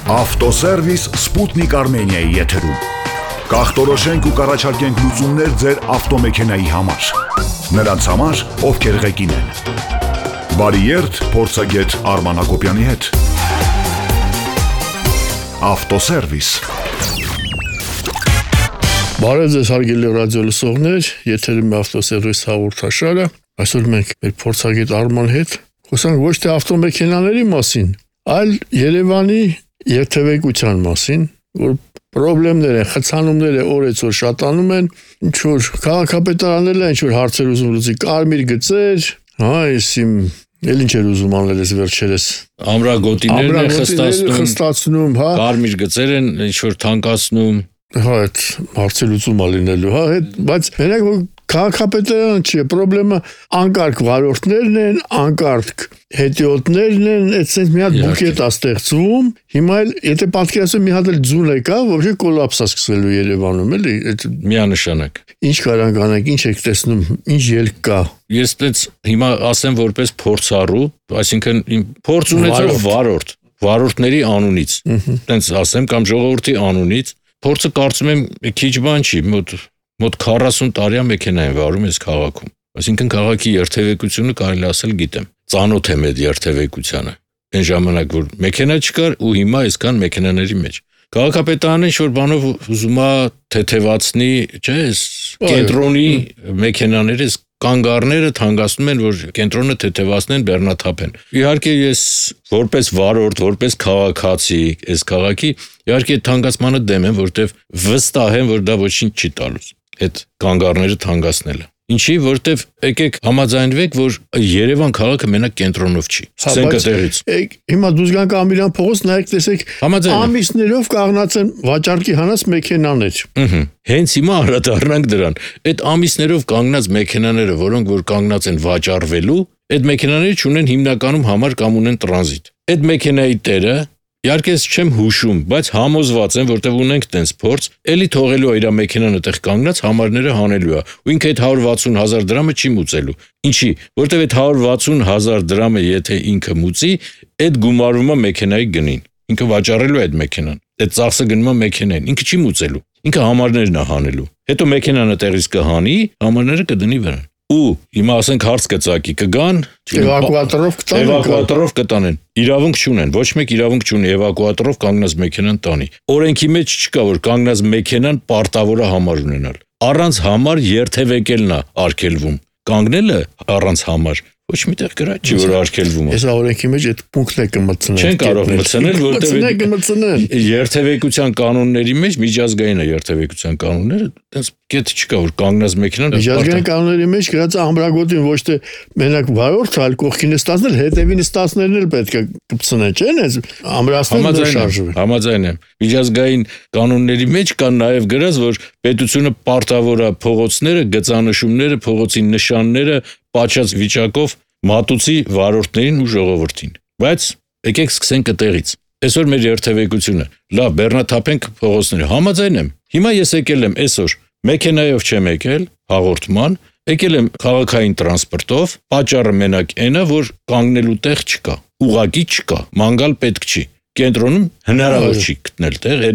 Ավտոսերվիս Սպուտնիկ Արմենիայի եթերում։ Կախտորոշենք ու կառաջարկենք լուծումներ ձեր ավտոմեքենայի համար։ Նրանց համար, ովքեր ղեկին են։ Բարի երթ փորձագետ Արման Հակոբյանի հետ։ Ավտոսերվիս։ Բարև ձեզ հարգելի ռադիո լսողներ, եթերում է ավտոսերվիս հաղորդաշարը։ Այսօր մենք մեր փորձագետ Արման հետ խոսանք ոչ թե ավտոմեքենաների մասին, այլ Երևանի երթևեկության մասին, որ խնդիրներ են, խցանումները օրեցօր շատանում են, ինչ որ քաղաքապետարաններն ինչ որ հարցեր ուզում լուծի, կարմիր գծեր, իմ էլ ինչ էր ուզում անել ես վերջերս ամրագոտիներն են խստացնում, կարմիր գծեր են ինչ որ թանկացնում, այդ հարցի լուծում ա լինելու, բայց մենակ որ քաղաքապետարանը չի, խնդրեմը անկարգ վարորդներն են, անկարգ հետիոտներն են, այդպես մի հատ բուկետ է ստեղծվում, հիմա էլ եթե պատկերացնեմ մի հատ էլ ձուն եկա, вообще կոլապս է սկսվելու Երևանում, էլի, միանշանակ։ Ինչ կարանք անենք, ինչ եք տեսնում, ինչ ելք կա։ Ես այդպես հիմա ասեմ որպես փորձառու, այսինքն փորձ ունեցող վարորդների անունից, այդպես ասեմ կամ ժողովրդի անունից, փորձը կարծում եմ քիչ բան չի, մոտ 40 տարի մեքենա են վարում այս քաղաքում։ Այսինքն քաղաքի երթևեկությունը կարելի ասել գիտեմ։ Ծանոթ եմ այդ երթևեկությանը։ Այն ժամանակ որ մեքենա չկար ու հիմա այսքան մեքենաների մեջ։ Քաղաքապետարանը ինչ որ բանով ուզում է թեթևացնի, չէ՞, կենտրոնի մեքենաները կանգառները թանկացնում են, որ կենտրոնը թեթևացնեն, բեռնաթափեն։ Իհարկե ես որպես վարորդ, որպես քաղաքացի, այս քաղաքի իհարկե թանկացմանը դեմ եմ, որտեվ վստահ եմ, որ դա ոչինչ չի տալուց։ Այդ կանգառները թանկացնելը։ Ինչի, որտեվ եկեք համաձայնվեք, որ Երևան քաղաքը մենակ կենտրոնով չի։ Սկսենք այդտեղից։ Հիմա դուք գանք Ամիրյան փողոց, նայեք տեսեք, ամիսներով կանգնած են վաճառքի հանած մեքենաներ։ Հենց հիմա անդրադառնանք դրան։ Այդ ամիսներով կանգնած մեքենաները, որոնք որ կանգնած են վաճառվելու, այդ մեքենաները չունեն հիմնականում համար կամ ունեն տրանզիտ։ Այդ մեքենայի տերը իհարկե չեմ հուշում, բայց համոզված եմ, որտեղ ունենք տենց փորձ, էլի թողելու է իր մեքենան այդտեղ կանգնած, համարները հանելու է։ Ու ինքը այդ 160,000 դրամը չի մուծելու։ Ինչի, որտեղ այդ 160,000 դրամը եթե ինքը մուծի, այդ գումարվում է մեքենայի գնին։ Ինքը վաճառելու է այդ մեքենան։ Այդ ծախսը գնում է մեքենային, ինքը չի մուծելու։ Ինքը համարներն է հանելու։ Հետո մեքենան այդտեղից կհանի, համարները կդնի վրան։ Ու հիմա ասենք հարց կծակի կգան էվակուատորով կտանեն իրավունք չունեն ոչ մեկ իրավունք չունի էվակուատորով կանգնած մեքենան տանի օրենքի մեջ չկա որ կանգնած մեքենան պարտավոր է համար ունենալ առանց համար երթևեկելն է արգելվում կանգնելը առանց համար ոչ միտեղ գրած չի որ արգելվում է այս օրենքի մեջ այդ պունկտն է կմտցնել չեն կարող մտցնել որտեղ երթևեկության կանոնների մեջ միջազգային է երթևեկության կանոնները այդպես կետ չկա որ կանգնած մեքենան միջազգային կանոնների մեջ գրած է ամրագոտին ոչ թե մենակ վարորդ այլ կողքին ստացնել հետևին ստացներն էլ պետք է կպցնեն չէ՞ այս ամրացնելը շարժվում համաձայն եմ միջազգային կանոնների մեջ կան նաև գրած որ պետությունը պարտավոր է փողոցները գծանշումները փողոցի նշանները պատշաճ վիճակով մատուցի վարորդներին ու ժողովրդին բայց եկեք սկսենք այդտեղից այսօր մեր երթևեկությունը լավ բեռնաթափենք փողոցները համաձայն եմ հիմա ես եկել եմ այսօր մեքենայով չեմ եկել հաղորդման եկել եմ քաղաքային տրանսպորտով պատճառը մենակ այնա որ կանգնելու տեղ չկա ուղակի չկա մանգալ պետք չի կենտրոնում հնարավոր չի գտնել տեղ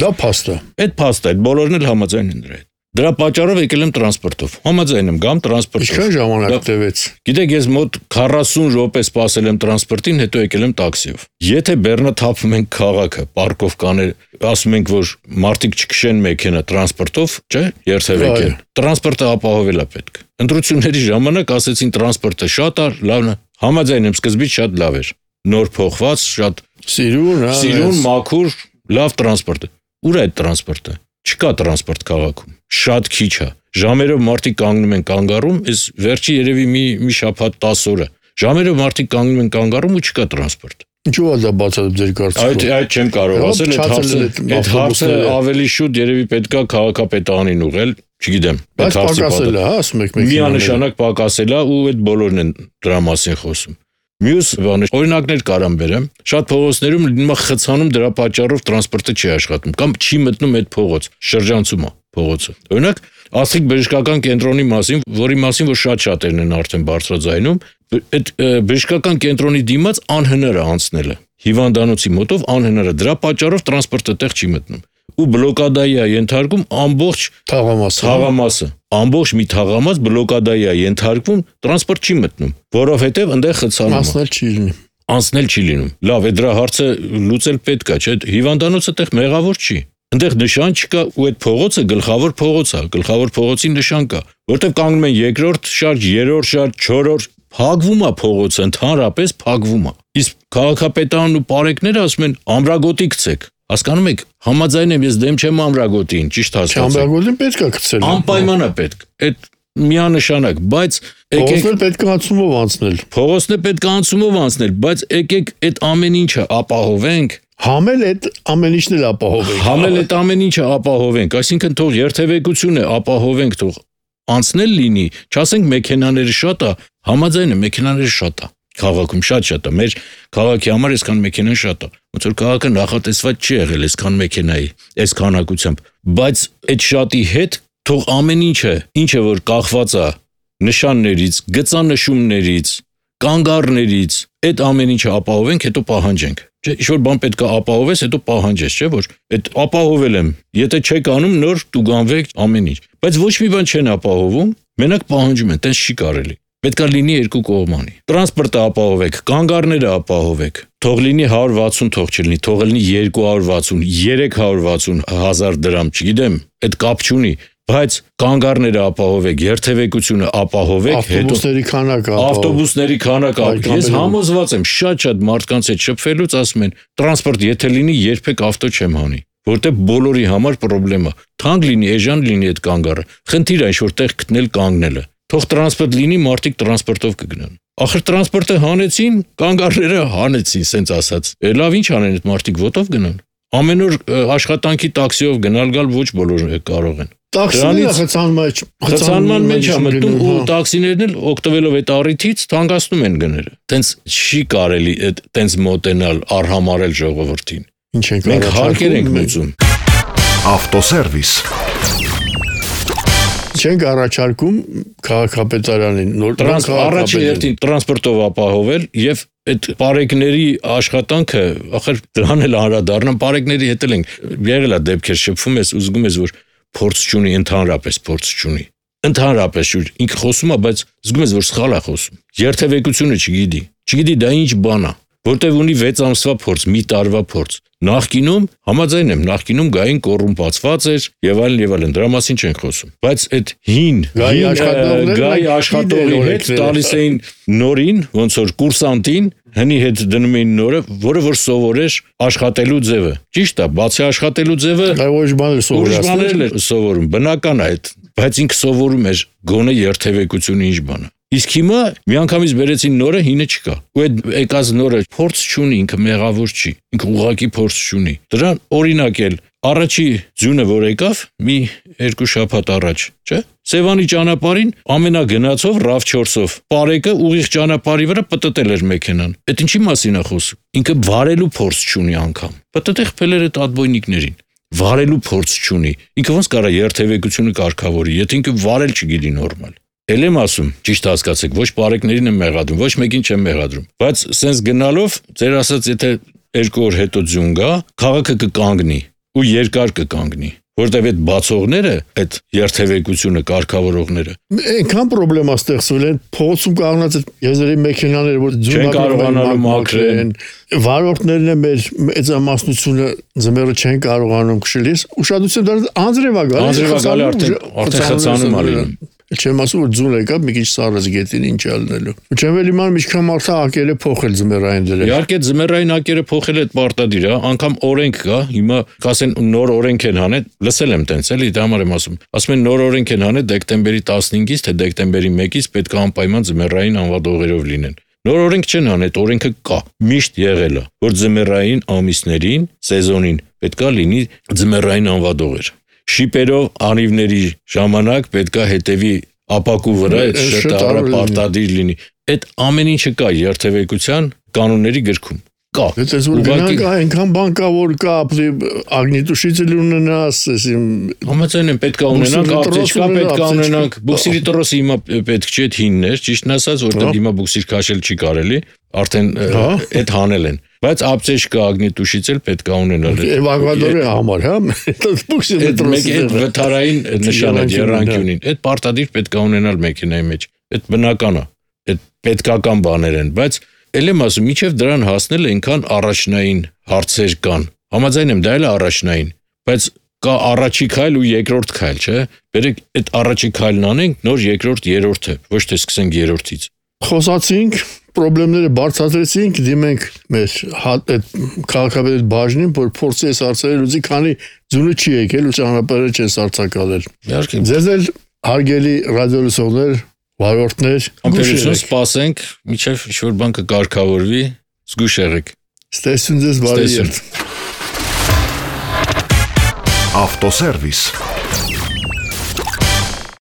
դա փաստ է այդ փաստ է բոլորն էլ համաձայն են դրա Դրա պատճառով եկել եմ տրանսպորտով։ Համաձայն եմ, գամ տրանսպորտով։ Ինչքան ժամանակ տևեց։ Գիտեք, ես մոտ 40 րոպե սպասել եմ տրանսպորտին, հետո եկել եմ տաքսիով։ Եթե բեռնաթափում ենք քաղաքը, պարկով կաներ, ասում ենք, որ մարդիկ չքշեն մեքենա տրանսպորտով, չէ՞, երթևեկեն։ Տրանսպորտը ապահովել է պետք։ Ընտրությունների ժամանակ ասեցին տրանսպորտը շատ է, լավն է։ Համաձայն եմ, սկզբից շատ լավ էր։ Նոր փոխված, շատ սիրուն, մաքուր, լավ տրանսպորտ։ Ուր է այդ տրանսպորտը։ Չկա տրանսպորտ քաղաքում, շատ քիչ է։ Ժամերով մարդիկ կանգնում են կանգառում, այս վերջի երևի մի շաբաթ 10 օրը։ Ժամերով մարդիկ կանգնում են կանգառում ու չկա տրանսպորտ։ Ինչու է դա բացատրում ձեր կարծիքով։ Այդ չեմ կարող ասել, այդ հարցը ավելի շուտ երևի պետքա քաղաքապետարանին ուղղել, չգիտեմ։ Բայց պակասել է, ասում եք մեքենաները։ Միանշանակ պակասել է ու այդ բոլորն են դրա մասին խոսում։ Մյուս բանը օրինակներ կարամ բերեմ շատ փողոցներում լինում է խցանում դրա պատճառով տրանսպորտը չի աշխատում կամ չի մտնում այդ փողոց շրջանցում է փողոցը օրինակ ասիկ բժշկական կենտրոնի մասին որի մասին որ շատերն են արդեն բարձրաձայնում այդ բժշկական կենտրոնի դիմաց անհնար է անցնելը հիվանդանոցի մոտով անհնար է, դրա պատճառով տրանսպորտը տեղ չի մտնում։ Ու բլոկադայի է ենթարկում ամբողջ թաղամասը, ամբողջ մի թաղամաս բլոկադայի է ենթարկվում, տրանսպորտ չի մտնում, որովհետև այնտեղ խցանում անցնել չի լինում։ Լավ, է դրա հարցը լուծել պետք է, չէ՞, հիվանդանոցը տեղ մեղավոր չի։ Այնտեղ նշան չկա ու այդ փողոցը գլխավոր փողոց է, գլխավոր փողոցի նշան կա, որտեղ կանգնում են երկրորդ շարժ, երրորդ շարժ, չորրորդ, փակվում է փողոցը, ընդհանրապես փակվում է։ Իսկ քաղաքապետանն ու պարեկները ասում են ամրագոտի գցեք։ Հասկանում եք, համաձայն եմ, ես դեմ չեմ ամրագոտին, ճիշտ հասկացեք։ Ամրագոտին պետք է գցել։ Անպայման է պետք։ Այդ միանշանակ, բայց փողոցն պետք է անցումով անցնել։ Փողոցն է պետք է անցումով անցնել, բայց եկեք այդ ամեն ինչը ապահովենք։ Համել այդ ամեն ինչն էլ ապահովենք։ Համել այդ ամեն ինչը ապահովենք, այսինքն թող երթևեկությունը ապահովենք, թող անցնել լինի, չասենք մեքենաները շատ է, համաձայն եմ, մեքենաները շատ է։ Քաղաքում շատ է, մեր քաղաքի համար այսքան մեքենան շատ է։ Ոնց որ քաղաքը նախատեսված չի եղել այսքան մեքենայի, այս քանակությամբ, բայց այդ շատի հետ թող ամեն ինչը որ կախված է նշաններից, գծանշումներից, կանգառներից, այդ ամեն ինչը ապահովենք, հետո պահանջենք։ Չէ, ինչ-որ բան պետք է ապահովես, հետո պահանջես, չէ՞ որ այդ ապահովել եմ։ Եթե չեք անում, նոր տուգանվեք ամեն ինչ։ Բայց ոչ մի բան չեն ապահովում, մենակ պահանջում են, տես չի կարելի։ Պետք է լինի երկու կողմանի։ Տրանսպորտը ապահովեք, կանգառները ապահովեք։ Թող լինի 160, թող չլինի, թող լինի 260, 360 հազար դրամ, չգիտեմ, այդ կապ չունի, բայց կանգառները ապահովեք, երթևեկությունը ապահովեք, հետո ավտոբուսների քանակը։ Ես համոզված եմ, շատ մարդկանց հետ շփվելուց ասում են, տրանսպորտ եթե լինի, երբեք ավտո չեմ հանի, որտեղ բոլորի համար խնդրեմ է։ Թանկ լինի, էժան լինի այդ կանգառը։ Խնդիր է ինչ-որ տեղ գտնել կանգնելը։ Թող տրանսպորտ լինի, մարդիկ տրանսպորտով կգնան։ Ախր տրանսպորտը հանեցին, կանգառները հանեցին, սենց ասած։ Լավ ինչ անեն այդ մարդիկ ոտով գնան։ Ամեն օր աշխատանքի տաքսիով գնալ-գալ ոչ բոլորը կարող են։ Տաքսիները խցանման մեջ է մտնում ու տաքսիներն էլ օգտվելով այդ առիթից թանկացնում են գները։ Տենց չի կարելի այդ տենց մոտենալ, արհամարել ժողովրդին։ Ինչ ենք մենք հարկեր ենք մուծում։ Ավտոսերվիս Չենք առաջարկում քաղաքապետարանին նոր առաջի հերթին տրանսպորտով ապահովել եւ այդ պարեկների աշխատանքը, ախր դրան էլ անդրադառնամ, պարեկների հետ էլ ենք եղել է դեպքեր, շփվում ես ու զգում ես, որ փորձ չունի, ընդհանրապես փորձ չունի։ Ընդհանրապես ինքը խոսում է, բայց զգում ես, որ սխալ է խոսում։ Երթևեկությունը չգիտի դա ինչ բան է, որտեվ ունի 6 ամսվա փորձ, մի տարվա փորձ։ Նախկինում, համաձայն եմ, նախկինում գային կոռումպացված էր եւ այլն, դրա մասին չենք խոսում։ Բայց այդ հին գայի աշխատողի հետ տալիս էին նորին, ոնց որ կուրսանտին, հնի հետ դնում էին նորը, որը որ սովորեր աշխատելու ձևը։ Ճիշտ է, բացի աշխատելու ձևը, ոչ բաներ սովորում, բնական է այդ, բայց ինքը սովորում էր գոնե երթևեկությունը ինչ բան է։ Իսկ հիմա միանգամից բերեցին նորը, հինը չկա։ Ու այդ եկած նորը փորձ չունի, ինքը մեղավոր չի, ինքը ուղղակի փորձ չունի։ Դրան օրինակ էլ առաջի ձյունը որ եկավ, մի 2 շաբաթ առաջ, չէ՞։ Սևանի ճանապարհին ամենագնացով RAV4-ով պարեկը ուղիղ ճանապարհի վրա պտտել էր մեքենան։ Այդ ինչի մասին է խոսում։ Ինքը վարելու փորձ չունի անգամ։ Պտտել խփել էր այդ ադբոյնիկներին։ Վարելու փորձ չունի։ Ինքը ոնց կարա երթևեկությունը կարգավորի, եթե ինքը վարել չգիտի նորմալ։ Էլ եմ ասում, ճիշտ հասկացեք, ոչ պարեկներին եմ մեղադրում, ոչ մեկին չեմ մեղադրում, բայց սենց գնալով, ձեր ասած, եթե 2 օր հետո ձյուն գա, քաղաքը կկանգնի ու երկար կկանգնի, որտեղ այդ բացողները, այդ երթևեկությունը կարգավորողները այնքան խնդրեմ ստեղծվել են, փողոցում կանգնած այդ եզերի մեքենաները, որ ձյուն կարողանալու մաքրեն, վարորդներն են մեր մեծամասնությունը ձմեռը չեն կարողանում քշել, ուշադրություն դարձ անձրև է գալի արդեն խցանում է լինում։ Չեմ ասում, որ ձուն եկավ մի քիչ սառած գետին ինչ ալնելու։ Ու չեմ էլ իմանում ինչքան մարդը ակերը փոխել ձմեռային դրել։ Իհարկե ձմեռային ակերը փոխել այդ պարտադիր է, անգամ օրենք կա, հիմա կասեն նոր օրենք են հանել, լսել եմ տենց էլի, դա համար եմ ասում։ Ասում են նոր օրենք են հանել դեկտեմբերի 15-ից թե դեկտեմբերի 1-ից պետք է անպայման ձմեռային անվադողերով լինեն։ Նոր օրենք չեն հանել, այդ օրենքը կա, միշտ եղել է, որ ձմեռային ամիսներին, սեզոնին պետք է լինի ձմեռային անվադողեր։ Շիպերով անիվների ժամանակ պետքա հետևի ապակու վրա այդ շտարը պարտադիր լինի։ Այդ ամեն ինչը կա երթևեկության կանոնների գրքում։ կա։ Դες որ գնանք այնքան բան կա որ կա ագնիտուշիցել ունենաս, համաձայն եմ պետք է ունենանք, ապտեչկա պետք է ունենանք, բուքսիրի տրոսը հիմա պետք չէ հիններ, ճիշտն ասած, որտեղ հիմա բուքսիր քաշել չի կարելի, արդեն այդ հանել են։ Բայց ապտեչկա ագնիտուշիցել պետք է ունենալ։ Էվակուատորի համար, հա։ Բուքսիրի տրոսը։ Այդ վթարային նշանը երանգյունին, այդ պարտադիր պետք է ունենալ մեքենայի մեջ։ Այդ բնական է, այդ պետքական բաներ են, բայց Էլ եմ ասում, միջև դրան հասնել այնքան առաջնային հարցեր կան։ Համաձայն եմ, դա էլ է առաջնային, բայց կա առաջի քայլ ու երկրորդ քայլ, չէ՞։ Բերեք այդ առաջի քայլն անենք, նոր երկրորդ, երրորդը, ոչ թե սկսենք երրորդից։ Խոսացինք, խնդիրները բարձրացրեցինք, դիմենք մեր այդ քաղաքապետ բաժնին, որ փորձի այս հարցերը լուծի, քանի ձունը չի եկել ու ճանապարհը չի սարսակալել։ Իհարկե։ Ձեզ էլ հարգելի ռադիոլսողներ, վարորդներ, համբերություն սպասենք, միջև ինչ-որ բան կկարգավորվի, զգույշ եղեք։ Ստեսուն ձեզ բարի երթ։ Ավտոսերվիս